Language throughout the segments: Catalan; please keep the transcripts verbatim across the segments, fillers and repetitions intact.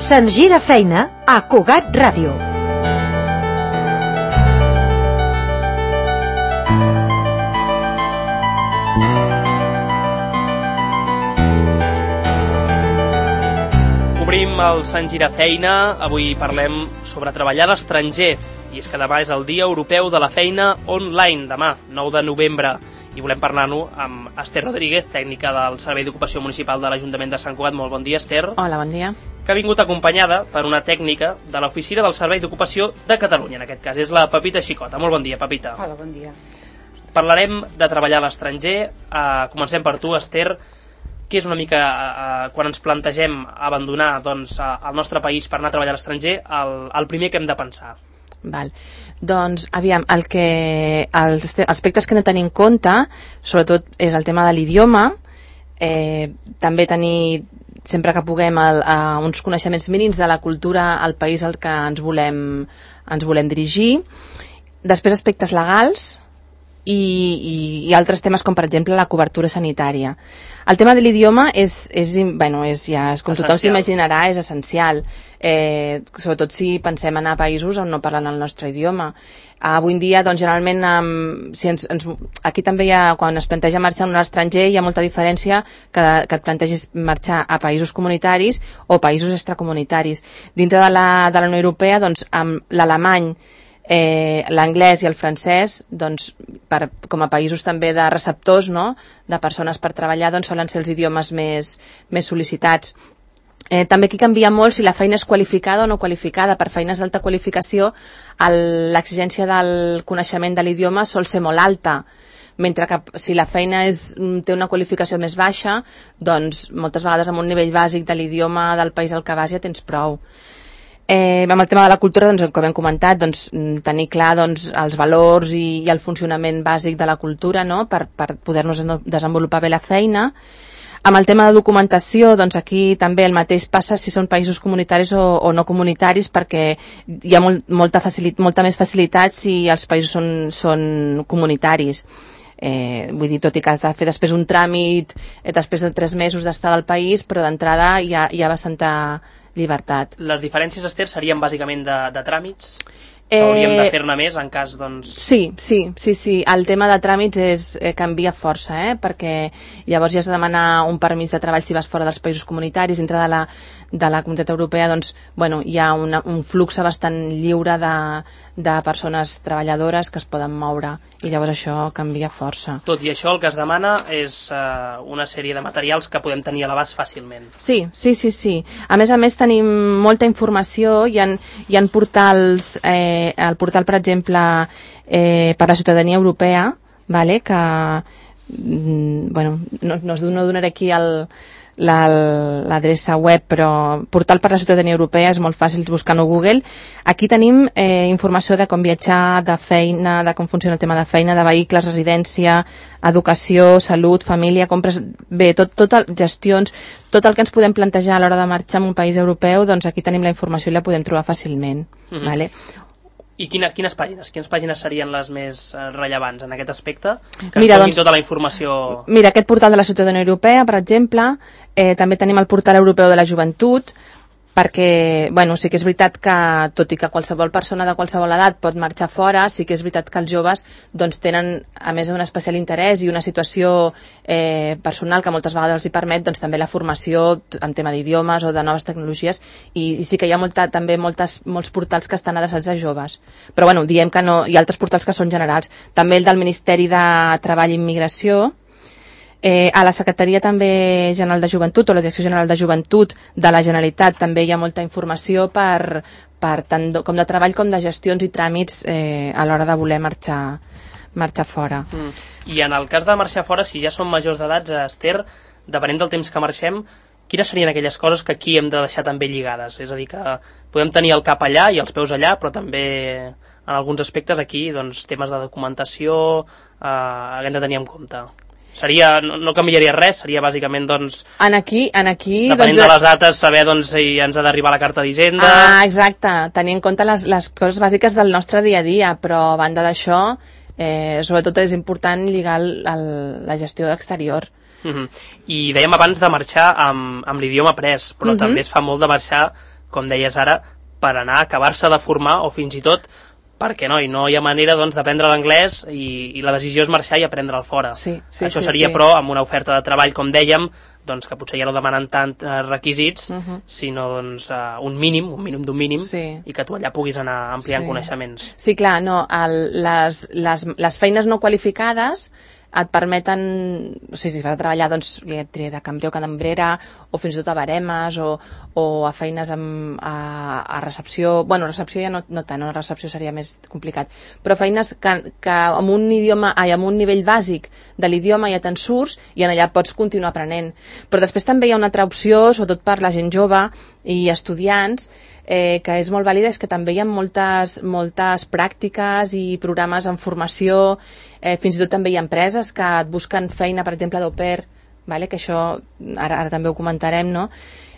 Se'ns gira feina a Cugat Ràdio. Obrim el Se'ns gira feina. Avui parlem sobre treballar a l'estranger. I és que demà és el Dia Europeu de la Feina Online, demà, nou de novembre. I volem parlar-ne amb Esther Rodríguez, tècnica del Servei d'Ocupació Municipal de l'Ajuntament de Sant Cugat. Molt bon dia, Esther. Hola, bon dia. Que ha vingut acompanyada per una tècnica de l'Oficina del Servei d'Ocupació de Catalunya, en aquest cas. És la Pepita Xicota. Molt bon dia, Pepita. Hola, bon dia. Parlarem de treballar a l'estranger. Uh, comencem per tu, Esther. Què és una mica, uh, quan ens plantegem abandonar doncs, uh, el nostre país per anar a treballar a l'estranger, el, el primer que hem de pensar? Val. Doncs, aviam, el que, els aspectes que hem de tenir en compte, sobretot, és el tema de l'idioma, eh, també tenir, sempre que puguem, el, uh, uns coneixements mínims de la cultura al país al que ens volem, ens volem dirigir. Després, aspectes legals, i, i, i altres temes com per exemple la cobertura sanitària. El tema de l'idioma és, és, bueno, és ja, com essencial. Tothom s'imaginarà, és essencial, eh, sobretot si pensem anar a països on no parlen el nostre idioma. Avui en dia, doncs, generalment, um, si ens, ens, aquí també hi ha, quan es planteja marxar a un estranger, hi ha molta diferència que, que et plantegis marxar a països comunitaris o països extracomunitaris. Dintre de la, de la Unió Europea, doncs, amb l'alemany, Eh, l'anglès i el francès, doncs, per, com a països també de receptors, no?, de persones per treballar, doncs solen ser els idiomes més, més sol·licitats. Eh, també aquí canvia molt si la feina és qualificada o no qualificada. Per feines d'alta qualificació l'exigència del coneixement de l'idioma sol ser molt alta, mentre que si la feina és, té una qualificació més baixa, doncs moltes vegades amb un nivell bàsic de l'idioma del país al que vas ja tens prou. Eh, amb el tema de la cultura, doncs, com hem comentat, doncs, tenir clar doncs, els valors i, i el funcionament bàsic de la cultura, no?, per, per poder-nos desenvolupar bé la feina. Amb el tema de documentació, doncs aquí també el mateix passa si són països comunitaris o, o no comunitaris, perquè hi ha molt, molta, facilit, molta més facilitat si els països són, són comunitaris. Eh, vull dir, tot i que has de fer després un tràmit eh, després de tres mesos d'estar al país, però d'entrada hi ha, hi ha bastanta llibertat. Les diferències, Esther, serien bàsicament de, de tràmits? Eh, hauríem de fer-ne més en cas, doncs... Sí, sí, sí, sí. El tema de tràmits és, eh, canvia força, eh? Perquè llavors ja has de demanar un permís de treball si vas fora dels països comunitaris. Dintre de la, de la Comunitat Europea, doncs, bueno, hi ha una, un flux bastant lliure de, de persones treballadores que es poden moure, i llavors això canvia força. Tot i això, el que es demana és uh, una sèrie de materials que podem tenir a l'abast fàcilment. Sí, sí, sí, sí. A més a més tenim molta informació, hi ha, hi ha portals, eh, el portal, per exemple, eh, per la ciutadania europea, vale, que mm, bueno, no, no, no donaré aquí el l'adreça web, però portal per la ciutadania europea, és molt fàcil buscar-ho a Google. Aquí tenim eh, informació de com viatjar, de feina, de com funciona el tema de feina, de vehicles, residència, educació, salut, família, compres, bé, tot, tot el, gestions, tot el que ens podem plantejar a l'hora de marxar en un país europeu, doncs aquí tenim la informació i la podem trobar fàcilment. Mm-hmm. Vale? I quina, quines pàgines? Quines pàgines serien les més eh, rellevants en aquest aspecte? Que mira, ens donin doncs, tota la informació... Mira, aquest portal de la ciutadania europea, per exemple, eh, també tenim el portal europeu de la joventut, perquè, bueno, sí que és veritat que, tot i que qualsevol persona de qualsevol edat pot marxar fora, sí que és veritat que els joves doncs, tenen, a més, un especial interès i una situació eh, personal que moltes vegades els hi permet doncs, també la formació en tema d'idiomes o de noves tecnologies, i, i sí que hi ha molta, també moltes, molts portals que estan adreçats a joves. Però bueno, diem que no, hi ha altres portals que són generals. També el del Ministeri de Treball i Immigració. Eh, a la Secretaria també General de Joventut o la Direcció General de Joventut de la Generalitat també hi ha molta informació per, per tant de, com de treball com de gestions i tràmits eh, a l'hora de voler marxar, marxar fora. Mm. I en el cas de marxar fora, si ja som majors d'edats, Esther, depenent del temps que marxem, quines serien aquelles coses que aquí hem de deixar també lligades? És a dir, que podem tenir el cap allà i els peus allà, però també en alguns aspectes aquí, doncs, temes de documentació eh, hem de tenir en compte. Seria, no, no canviaria res, seria bàsicament, doncs, en aquí, en aquí, depenent doncs, de les dates, saber doncs, si ens ha d'arribar la carta d'Hisenda... Ah, exacte, tenir en compte les, les coses bàsiques del nostre dia a dia, però a banda d'això, eh, sobretot és important lligar el, el, la gestió exterior. Uh-huh. I dèiem abans de marxar amb, amb l'idioma après, però uh-huh. també es fa molt de marxar com deies ara, per anar a acabar-se de formar o fins i tot perquè no, i no hi ha manera doncs, d'aprendre l'anglès i, i la decisió és marxar i aprendre'l fora. Sí, sí, Això sí, seria, sí. però, amb una oferta de treball, com dèiem, doncs, que potser ja no demanen tant eh, requisits, uh -huh. sinó doncs, uh, un mínim, un mínim d'un mínim, sí. i que tu allà puguis anar ampliant sí. coneixements. Sí, clar, no, el, les, les, les feines no qualificades et permeten, o sigui, si vas a treballar doncs, de cambrer o cambrera o fins i tot a baremes o, o a feines amb, a, a recepció, bueno, recepció ja no, no tant, no, recepció seria més complicat, però feines que, que amb un idioma, ai, amb un nivell bàsic de l'idioma ja te'n surts i en allà pots continuar aprenent. Però després també hi ha una altra opció, sobretot per la gent jove i estudiants, eh, que és molt vàlida, és que també hi ha moltes, moltes pràctiques i programes en formació, eh, fins i tot també hi ha empreses que et busquen feina, per exemple, d'au pair, vale? Que això ara, ara també ho comentarem, no?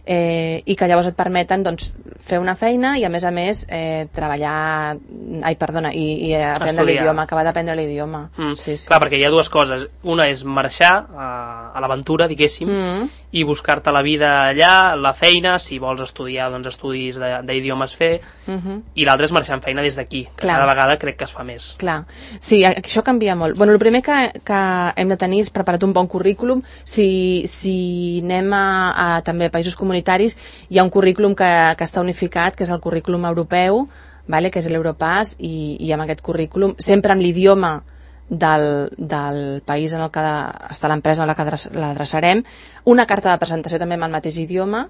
Eh, i que llavors et permeten doncs, fer una feina i a més a més eh, treballar, ai perdona, i, i aprendre l'idioma, acabar d'aprendre l'idioma. Mm. Sí, sí. Clar, perquè hi ha dues coses. Una és marxar a, a l'aventura, diguéssim, mm. i buscar-te la vida allà, la feina, si vols estudiar doncs, estudis d'idiomes fer, mm-hmm. i l'altra és marxar en feina des d'aquí, que Clar. Cada vegada crec que es fa més. Clar, sí, això canvia molt. Bueno, el primer que, que hem de tenir és preparat un bon currículum. Si, si anem a, a també a països comunitaris, hi ha un currículum que, que està unificat, que és el currículum europeu, vale? Que és l'Europass, i, i amb aquest currículum, sempre amb l'idioma del, del país en el que està l'empresa en la que l'adreçarem, una carta de presentació també amb el mateix idioma,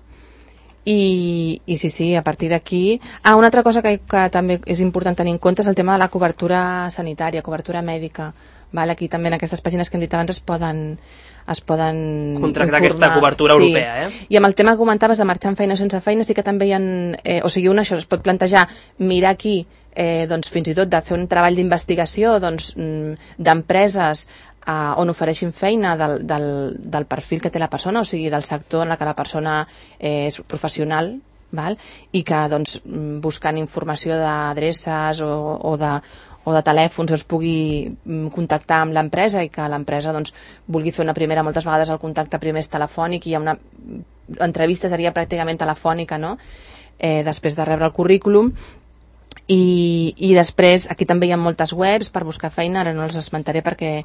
i, i sí, sí, a partir d'aquí... Ah, una altra cosa que, que també és important tenir en compte és el tema de la cobertura sanitària, cobertura mèdica. Vale? Aquí també en aquestes pàgines que hem dit abans es poden es poden contractar informar. Aquesta cobertura sí. europea, eh? I amb el tema que comentaves de marxar amb feina o sense feina, sí que també hi ha, eh, o sigui, una, això es pot plantejar mirar aquí, eh, doncs fins i tot de fer un treball d'investigació doncs, d'empreses eh, on ofereixin feina del, del, del perfil que té la persona, o sigui, del sector en la que la persona eh, és professional, val? I que doncs, buscant informació d'adreces o, o de o de telèfons es pugui contactar amb l'empresa i que l'empresa doncs, vulgui fer una primera, moltes vegades el contacte primer és telefònic i hi ha una entrevista seria pràcticament telefònica, no? Eh, després de rebre el currículum. I, i després aquí també hi ha moltes webs per buscar feina, ara no els esmentaré perquè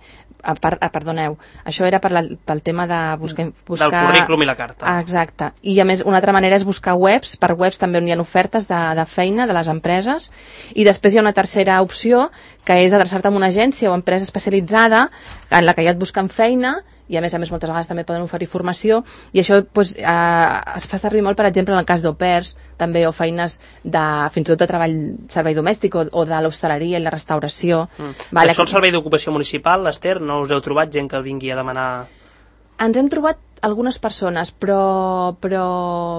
a part, ah, perdoneu, això era per la, pel tema de buscar, buscar... del currículum i la carta. Ah, exacte, i a més una altra manera és buscar webs, per webs també on hi ha ofertes de, de feina de les empreses, i després hi ha una tercera opció que és adreçar-te a una agència o empresa especialitzada en la que ja et busquen feina i a més a més moltes vegades també poden oferir formació, i això doncs, eh, es fa servir molt, per exemple, en el cas d'au pairs també, o feines de, fins i tot de treball servei domèstic o, o de l'hostaleria i la restauració. Mm. Vale. Això el servei d'ocupació municipal, Esther, no us heu trobat gent que vingui a demanar... Ens hem trobat algunes persones, però, però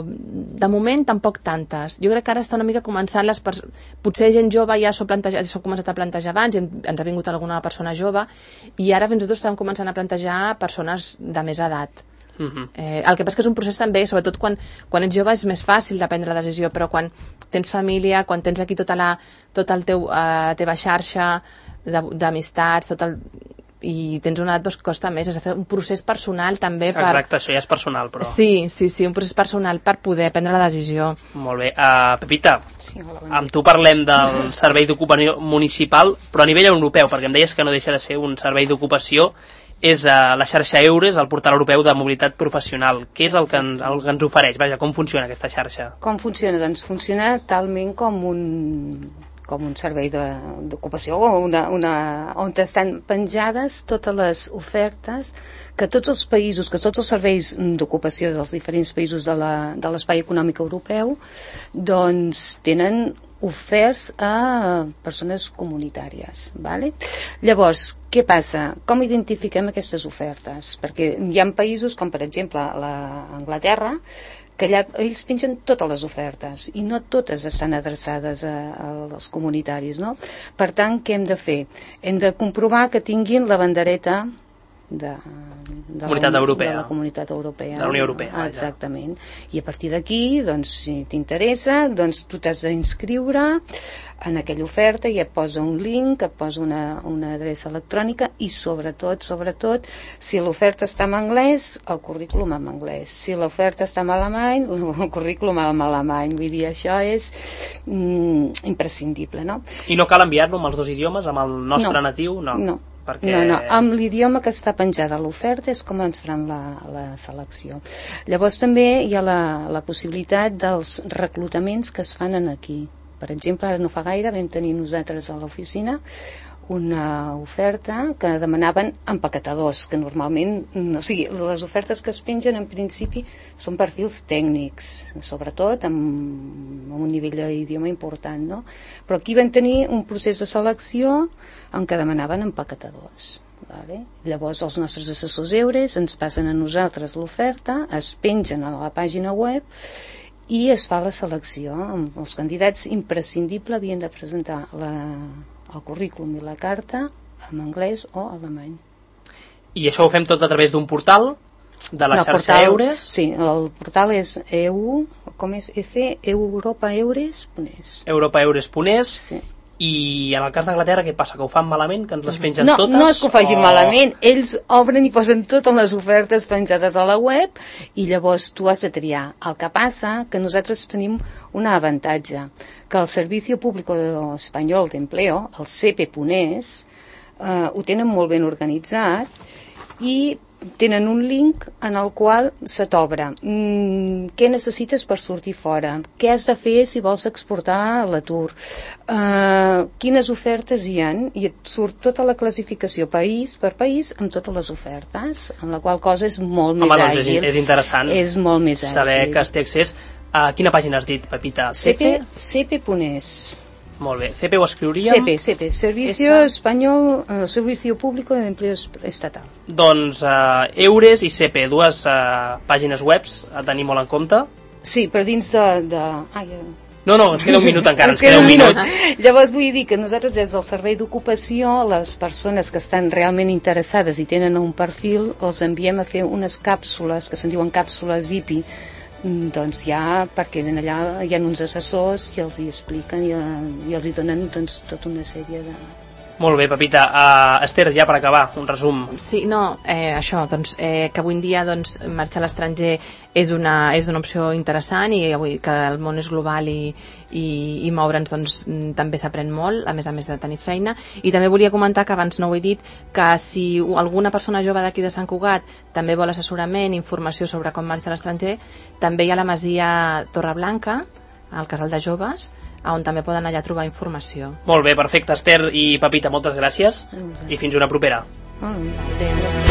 de moment tampoc tantes. Jo crec que ara està una mica començant les persones... Potser gent jove ja s'ho s'ho començat a plantejar abans, ens ha vingut alguna persona jove, i ara fins i tot estem començant a plantejar persones de més edat. Uh-huh. eh, el que passa que és un procés també, sobretot quan, quan ets jove és més fàcil de prendre la decisió, però quan tens família, quan tens aquí tota la, tot el teu, eh, la teva xarxa d'amistats, tot el... i tens una edat doncs, que costa més, has de fer un procés personal també per... Exacte, això ja és personal, però... Sí, sí, sí, un procés personal per poder prendre la decisió. Molt bé. Uh, Pepita, sí, hola, bon amb tu parlem del servei d'ocupació municipal, però a nivell europeu, perquè em deies que no deixa de ser un servei d'ocupació, és uh, la xarxa EURES, el portal europeu de mobilitat professional. Què és el que, ens, el que ens ofereix? Vaja, com funciona aquesta xarxa? Com funciona? Doncs funciona talment com un... com un servei d'ocupació una, una, on estan penjades totes les ofertes que tots els països, que tots els serveis d'ocupació dels diferents països de l'espai econòmic europeu doncs tenen oferts a persones comunitàries, vale? Llavors, què passa? Com identifiquem aquestes ofertes? Perquè hi ha països com per exemple l'Anglaterra que allà ells pengen totes les ofertes i no totes estan adreçades a, als comunitaris, no? Per tant, què hem de fer? Hem de comprovar que tinguin la bandereta de, de, Comunitat la, Europea. de la Comunitat Europea. De la Unió Europea. Exactament. I a partir d'aquí, doncs, si t'interessa, doncs tu t'has d'inscriure en aquella oferta i et posa un link, et posa una, una adreça electrònica i sobretot, sobretot, si l'oferta està en anglès, el currículum en anglès. Si l'oferta està en alemany, el currículum en alemany. Vull dir, això és mm, imprescindible, no? I no cal enviar-lo amb els dos idiomes, amb el nostre No. natiu? No. No. Perquè... No, no, amb l'idioma que està penjada a l'oferta és com ens faran la, la selecció. Llavors també hi ha la, la possibilitat dels reclutaments que es fan en aquí. Per exemple, ara no fa gaire vam tenir nosaltres a l'oficina una oferta que demanaven empaquetadors, que normalment, o sigui, les ofertes que es pengen en principi són perfils tècnics, sobretot amb, amb un nivell d'idioma important, no? Però aquí vam tenir un procés de selecció en què demanaven empaquetadors. Vale? Llavors els nostres assessors EURES ens passen a nosaltres l'oferta, es pengen a la pàgina web i es fa la selecció. Els candidats imprescindible havien de presentar la el currículum i la carta en anglès o alemany. I això ho fem tot a través d'un portal de la no, xarxa portal, Eures? Sí, el portal és E U, com és? E C, europaeures punt es. europaeures punt es. Sí. I en el cas d'Anglaterra què passa? Que ho fan malament? Que ens les pengen no, totes? No és que ho facin o... malament, ells obren i posen totes les ofertes penjades a la web i llavors tu has de triar. El que passa que nosaltres tenim un avantatge, que el Servicio Público Espanyol d'Empleo, el C P punt es, eh, ho tenen molt ben organitzat i tenen un link en el qual se t'obre mm, què necessites per sortir fora, què has de fer si vols exportar l'atur, uh, quines ofertes hi ha, i et surt tota la classificació país per país amb totes les ofertes, amb la qual cosa és molt Home, més doncs àgil. És, és interessant És molt més saber àgil. que es té accés. A quina pàgina has dit, Pepita? C P? C P punt es. Molt bé. C P ho escriuríem? C P, C P, Servicio Esa. Español, eh, Servicio Público de Empleo Estatal. Doncs uh, Eures i C P, dues uh, pàgines webs a tenir molt en compte. Sí, però dins de... de... Ai, No, no, ens queda un minut encara, ens Ens queda un minut. Llavors vull dir que nosaltres des del servei d'ocupació, les persones que estan realment interessades i tenen un perfil, els enviem a fer unes càpsules, que se'n diuen càpsules I P I, doncs ja perquè allà hi ha uns assessors i els hi expliquen i, i els hi donen doncs, tota una sèrie de... Molt bé, Pepita. Uh, Esther, ja per acabar, un resum. Sí, no, eh, això, doncs, eh, que avui en dia doncs, marxar a l'estranger és una, és una opció interessant i avui que el món és global i, i, i moure'ns doncs, també s'aprèn molt, a més a més de tenir feina. I també volia comentar, que abans no ho he dit, que si alguna persona jove d'aquí de Sant Cugat també vol assessorament, informació sobre com marxar a l'estranger, també hi ha la masia Torreblanca, al Casal de Joves, on també poden allà trobar informació. Molt bé, perfecte, Esther i Pepita, moltes gràcies i fins una propera. Oh, adéu.